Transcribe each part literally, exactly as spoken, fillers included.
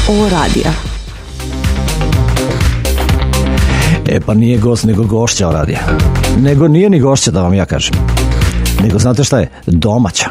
O radija. E pa nije gost, nego gošća O radija. Nego nije ni gošća, da vam ja kažem. Nego znate šta je? Domaća.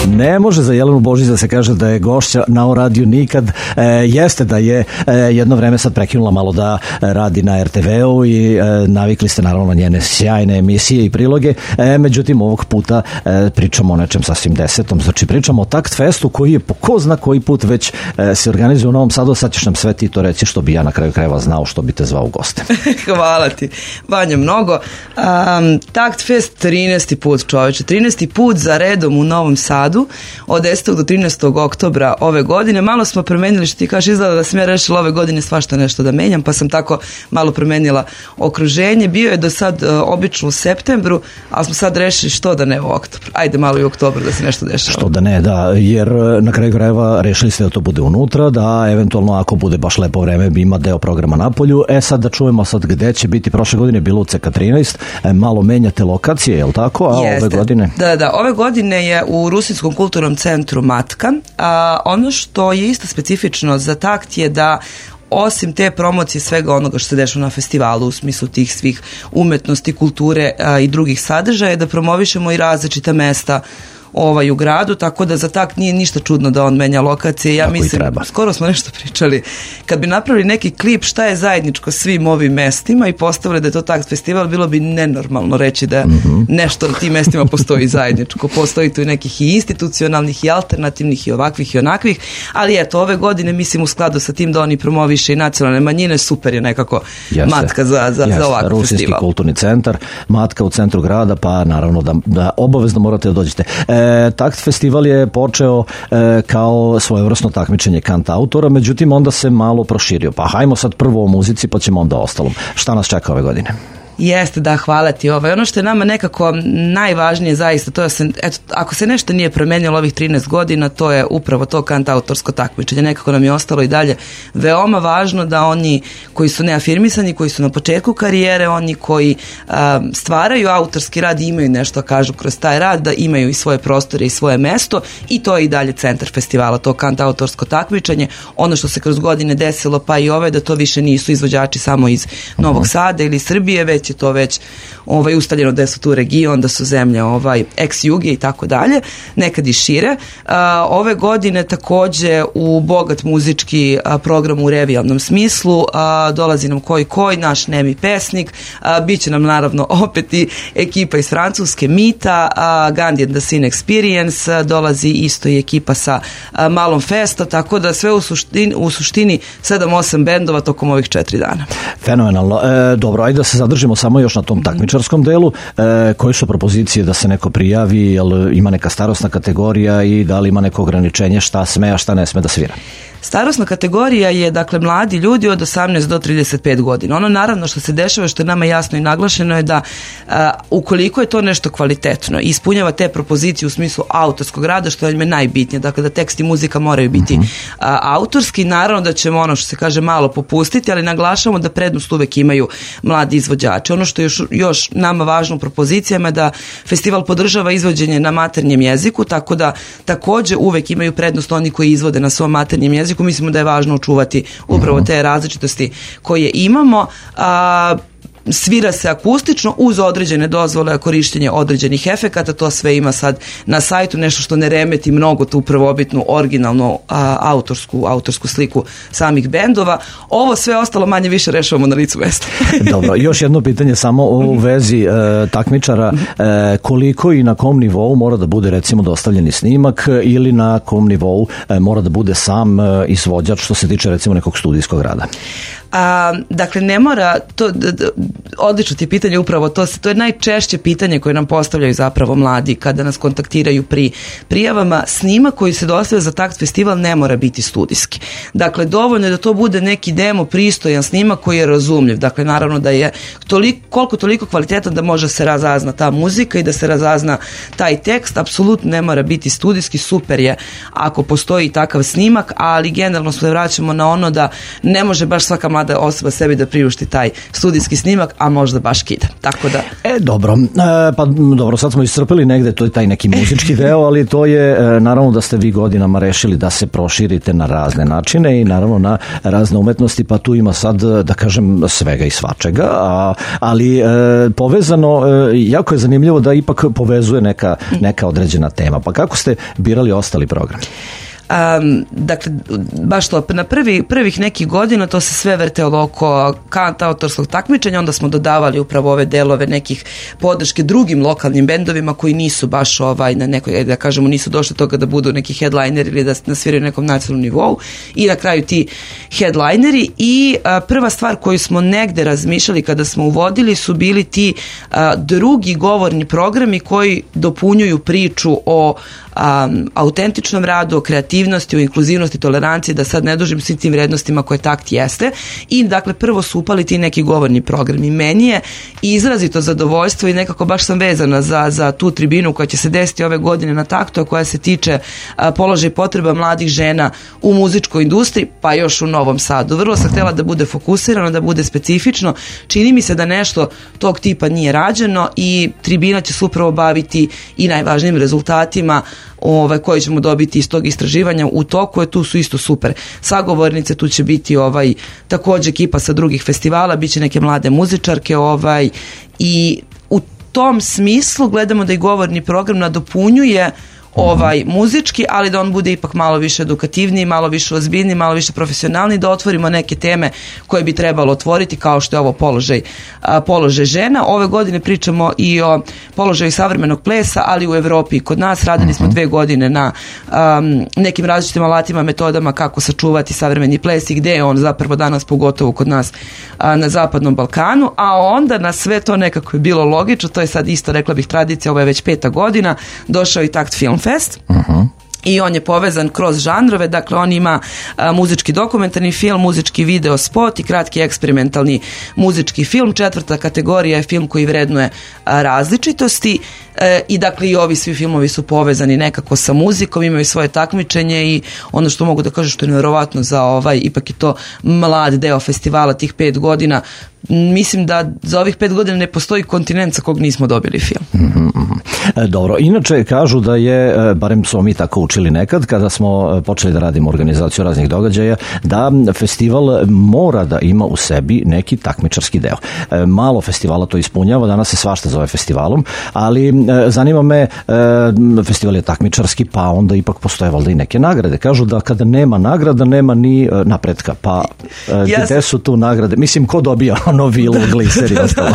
Ne može za Jelenu Božić da se kaže da je gošća na O radiju nikad. E, jeste da je e, jedno vreme sad prekinula malo da radi na er te veu i e, navikli ste naravno na njene sjajne emisije i priloge. E, međutim, ovog puta e, pričamo o nečem sasvim desetom. Znači, pričamo o Takt Festu koji je po ko zna koji put već e, se organizuje u Novom Sadu. Sad ćeš nam sve ti to reći što bi ja na kraju krajeva znao što bi te zvao u goste. Hvala ti, Vanja, mnogo. Um, Takt Fest trinaesti put, čoveče. trinaesti put za redom u Novom Sadu. Od desetog do trinaestog oktobra ove godine. Malo smo promenili, što ti kažeš, izgleda da sam ja rešila ove godine svašta nešto da menjam, pa sam tako malo promenila okruženje. Bio je do sad uh, obično u septembru, ali smo sad rešili što da ne u oktobru. Ajde malo i u oktobru da se nešto dešava. Što da ne, da, jer na kraju krajeva rešili ste da to bude unutra, da eventualno ako bude baš lepo vreme bi ima deo programa napolju. E sad da čujemo sad gde će biti. Prošle godine bilo u ce ka trinaest, e, malo menjate lokacije, je li tako? A Jeste. Ove godine? Da, da, ove godine je u Rusinskom kulturnom centru Matka. A, ono što je isto specifično za Takt je da osim te promocije svega onoga što se dešava na festivalu u smislu tih svih umetnosti, kulture a, i drugih sadržaja, da promovišemo i različita mesta ovaj u gradu, tako da za Takt nije ništa čudno da on menja lokacije. Ja tako mislim, skoro smo nešto pričali, kad bi napravili neki klip šta je zajedničko svim ovim mestima i postavili da je to Takt festival, bilo bi nenormalno reći da mm-hmm. nešto na tim mestima postoji zajedničko. Postoji tu i nekih i institucionalnih i alternativnih i ovakvih i onakvih, ali eto, ove godine mislim u skladu sa tim da oni promoviše i nacionalne manjine, super je nekako Jeste. Matka za, za, Jeste. za ovakav Rusinski festival. kulturni centar, Matka u centru grada, pa naravno da, da obavezno morate da dođete. E, Takt festival je počeo e, kao svojevrsno takmičenje kant autora, međutim onda se malo proširio. Pa hajmo sad prvo o muzici, pa ćemo onda o ostalom. Šta nas čeka ove godine? Jeste, da, hvala ti. Ovaj. Ono što je nama nekako najvažnije zaista, to je se, eto, ako se nešto nije promenilo ovih trinaest godina, to je upravo to kantautorsko takmičenje. Nekako nam je ostalo i dalje veoma važno da oni koji su neafirmisani, koji su na početku karijere, oni koji a, stvaraju autorski rad i imaju nešto da kažu kroz taj rad, da imaju i svoje prostore i svoje mesto, i to je i dalje centar festivala, to kantautorsko takmičenje. Ono što se kroz godine desilo, pa i ove, da to više nisu izvođači samo iz Novog Sada ili Srbije, već je to već ovaj, ustaljeno da su tu region, da su zemlje ovaj, ex-juge i tako dalje, nekad i šire. A, ove godine takođe u bogat muzički a, program u revijalnom smislu, a, dolazi nam Koji Koji, naš nemi pesnik, a, bit će nam naravno opet i ekipa iz Francuske Mita, a, Gandhi and the Scene Experience, a, dolazi isto i ekipa sa a, Malom Festa, tako da sve u suštini, u suštini sedam osam bendova tokom ovih četiri dana. Fenomenalno. E, dobro, ajde da se zadržimo samo još na tom takmičarskom delu. E, koje su propozicije da se neko prijavi, jel ima neka starosna kategorija i da li ima neko ograničenje šta sme, a šta ne sme da svira? Starosna kategorija je, dakle, mladi ljudi od osamnaest do trideset pet godina. Ono naravno što se dešava, što je nama jasno i naglašeno je da a, ukoliko je to nešto kvalitetno i ispunjava te propozicije u smislu autorskog rada, što je najbitnije, dakle da tekst i muzika moraju biti uh-huh. a, autorski, naravno da ćemo ono što se kaže malo popustiti, ali naglašavamo da prednost uvek imaju mladi izvođači. Ono što je još, još nama važno u propozicijama je da festival podržava izvođenje na maternjem jeziku, tako da takođe uvek imaju prednost oni koji izvode na svom maternjem jeziku. Mislimo da je važno očuvati upravo te različitosti koje imamo. A, svira se akustično uz određene dozvole, korištenje određenih efekata, to sve ima sad na sajtu, nešto što ne remeti mnogo tu prvobitnu, originalnu a, autorsku, autorsku sliku samih bendova. Ovo sve ostalo manje više rešavamo na licu mesta. Dobro, još jedno pitanje samo u vezi e, takmičara, e, koliko i na kom nivou mora da bude recimo dostavljeni snimak ili na kom nivou e, mora da bude sam e, izvođač što se tiče recimo nekog studijskog rada? A, dakle, ne mora, to, d, d, odlično ti je pitanje upravo to, to je najčešće pitanje koje nam postavljaju zapravo mladi kada nas kontaktiraju pri prijavama. Snimak koji se dostavlja za Takt festival ne mora biti studijski. Dakle, dovoljno je da to bude neki demo, pristojan snimak koji je razumljiv. Dakle, naravno da je toliko, koliko toliko kvalitetan da može se razazna ta muzika i da se razazna taj tekst. Apsolutno ne mora biti studijski, super je ako postoji takav snimak, ali generalno se vraćamo na ono da ne može baš svaka mlada mlada osoba sebi da priušti taj studijski snimak, a možda baš kida. Tako da... E, dobro. E, pa dobro, sad smo iscrpili negde, to je taj neki muzički deo, ali to je e, naravno da ste vi godinama rešili da se proširite na razne načine i naravno na razne umetnosti, pa tu ima sad, da kažem, svega i svačega, a, ali e, povezano, e, jako je zanimljivo da ipak povezuje neka, neka određena tema. Pa kako ste birali ostali program? Um, dakle, baš to, na prvi, prvih nekih godina to se sve vrtelo oko kantautorskog takmičenja, onda smo dodavali upravo ove delove nekih podrške drugim lokalnim bendovima koji nisu baš ovaj, na nekoj, da kažemo, nisu došli do toga da budu neki headlineri ili da nasviraju na nekom nacionalnom nivou, i na kraju ti headlineri. I a, prva stvar koju smo negde razmišljali kada smo uvodili su bili ti a, drugi govorni programi koji dopunjuju priču o Um, autentičnom radu, o kreativnosti, o inkluzivnosti, toleranciji, da sad ne dužim svim tim vrednostima koje takt jeste. I dakle prvo su upali ti neki govorni programi. Meni je izrazito zadovoljstvo i nekako baš sam vezana za, za tu tribinu koja će se desiti ove godine na taktu, a koja se tiče a, položaja i potreba mladih žena u muzičkoj industriji, pa još u Novom Sadu. Vrlo sam htjela da bude fokusirano, da bude specifično. Čini mi se da nešto tog tipa nije rađeno i tribina će se upravo baviti i najvažnijim rezultatima ovaj, koje ćemo dobiti iz tog istraživanja. U toku je, tu su isto super sagovornice, tu će biti ovaj, također ekipa sa drugih festivala, bit će neke mlade muzičarke, ovaj, i u tom smislu gledamo da i govorni program nadopunjuje ovaj muzički, ali da on bude ipak malo više edukativniji, malo više ozbiljniji, malo više profesionalni, da otvorimo neke teme koje bi trebalo otvoriti, kao što je ovo položaj, a, položaj žena. Ove godine pričamo i o položaju savremenog plesa, ali u Evropi i kod nas. Radili smo dve godine na um, nekim različitim alatima, metodama kako sačuvati savremeni ples i gde je on zapravo danas, pogotovo kod nas a, na Zapadnom Balkanu, a onda na sve to nekako je bilo logično, to je sad isto, rekla bih, tradicija, ovo je već peta godina, došao i Takt Film Fest. Uh-huh. I on je povezan kroz žanrove, dakle on ima a, muzički dokumentarni film, muzički video spot i kratki eksperimentalni muzički film. Četvrta kategorija je film koji vrednuje a, različitosti e, i dakle i ovi svi filmovi su povezani nekako sa muzikom, imaju svoje takmičenje i ono što mogu da kažem što je nevjerovatno za ovaj, ipak je to mlad deo festivala, tih pet godina, mislim da za ovih pet godina ne postoji kontinent sa kog nismo dobili film. Mm-hmm. E, dobro, inače kažu da je, barem smo mi tako učili nekad, kada smo počeli da radimo organizaciju raznih događaja, da festival mora da ima u sebi neki takmičarski deo. E, malo festivala to ispunjava, danas se svašta zove festivalom, ali e, zanima me, e, festival je takmičarski, pa onda ipak postoje valjda i neke nagrade. Kažu da kada nema nagrada, nema ni e, napretka, pa e, gde su tu nagrade? Mislim, ko dobija ono vilu, gliser i ostalo?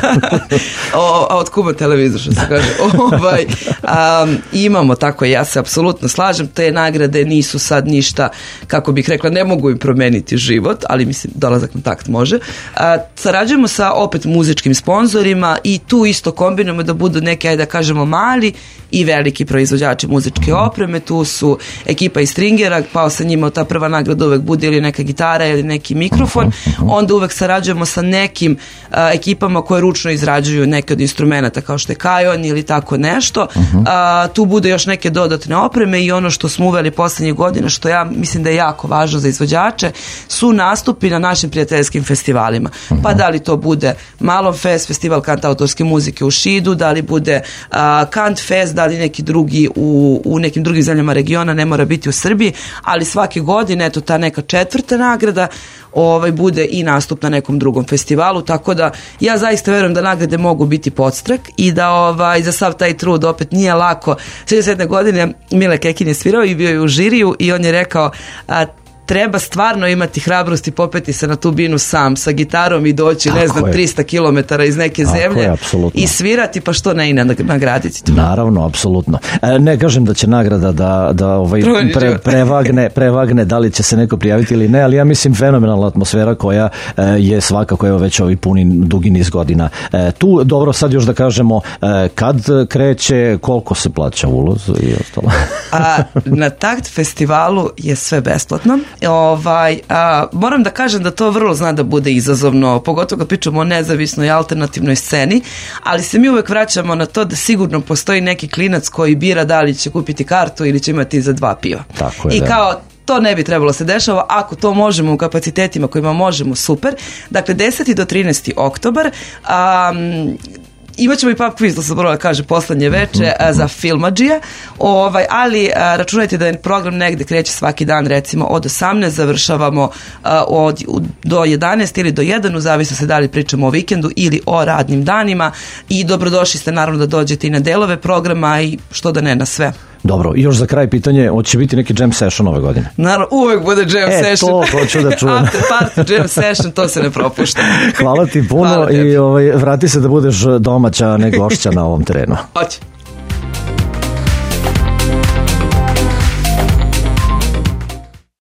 o, a od Kuba televizor, što se kaže. ovaj, um, imamo tako, ja se apsolutno slažem, te nagrade nisu sad ništa, kako bih rekla, ne mogu im promeniti život, ali mislim, dolazak na takt može. A, sarađujemo sa opet muzičkim sponzorima i tu isto kombinujemo da budu neke, ajde da kažemo, mali i veliki proizvođači muzičke opreme. Tu su ekipa iz Stringera, pa sa njima ta prva nagrada uvek bude ili neka gitara ili neki mikrofon. Onda uvek sarađujemo sa nekim a, ekipama koje ručno izrađuju neke od instrumenta, kao što je kajon ili tako nešto. A, tu bude još neke dodatne opreme i ono što smo uveli poslednjih godina, što ja mislim da je jako važno za izvođače, su nastupi na našim prijateljskim festivalima. Pa da li to bude Malom Fest, festival kantautorske muzike u Šidu, da li bude a, Kant Fest, da li neki drugi u, u nekim drugim zemljama regiona, ne mora biti u Srbiji, ali svake godine, eto, ta neka četvrta nagrada ovaj, bude i nastup na nekom drugom festivalu, tako da ja zaista verujem da nagrade mogu biti podstrek i da ovaj, za sav taj trud opet nije lako. šezdeset sedme godine Mile Kekin je svirao i bio je u žiriju i on je rekao, a, treba stvarno imati hrabrost i popeti se na tu binu sam sa gitarom i doći, tako ne znam, je. trista kilometara iz neke tako zemlje je, i svirati, pa što ne i nagraditi to. Naravno, apsolutno. E, ne kažem da će nagrada da, da ovaj pre, prevagne, prevagne da li će se neko prijaviti ili ne, ali ja mislim fenomenalna atmosfera koja e, je svakako evo već ovi puni dugi niz godina. E, tu, dobro, sad još da kažemo e, kad kreće, koliko se plaća ulaz i ostalo. A, na Takt festivalu je sve besplatno. Ovaj, a, moram da kažem da to vrlo zna da bude izazovno, pogotovo kad pričamo o nezavisnoj i alternativnoj sceni, ali se mi uvek vraćamo na to da sigurno postoji neki klinac koji bira da li će kupiti kartu ili će imati za dva piva. Tako je, I da. kao to ne bi trebalo se dešava, ako to možemo u kapacitetima kojima možemo, super. Dakle, deseti do trinaesti oktobar, um, imat ćemo i pub quiz, to sam morala kaže poslednje veče, a, za filmadžije, ovaj, ali a, računajte da je program negde kreće svaki dan, recimo od osamnaest, završavamo a, od, u, do jedanaest ili do jedan, u zavisnosti da li pričamo o vikendu ili o radnim danima, i dobrodošli ste naravno da dođete i na delove programa i što da ne, na sve. Dobro, i još za kraj pitanje, hoće biti neki jam session ove godine? Naravno, uvek bude jam e, session. E, to hoću da čujem. After party jam session, to se ne propušta. Hvala ti puno. Hvala i ovaj, vrati se da budeš domaća, ne gošća na ovom terenu. Hoće.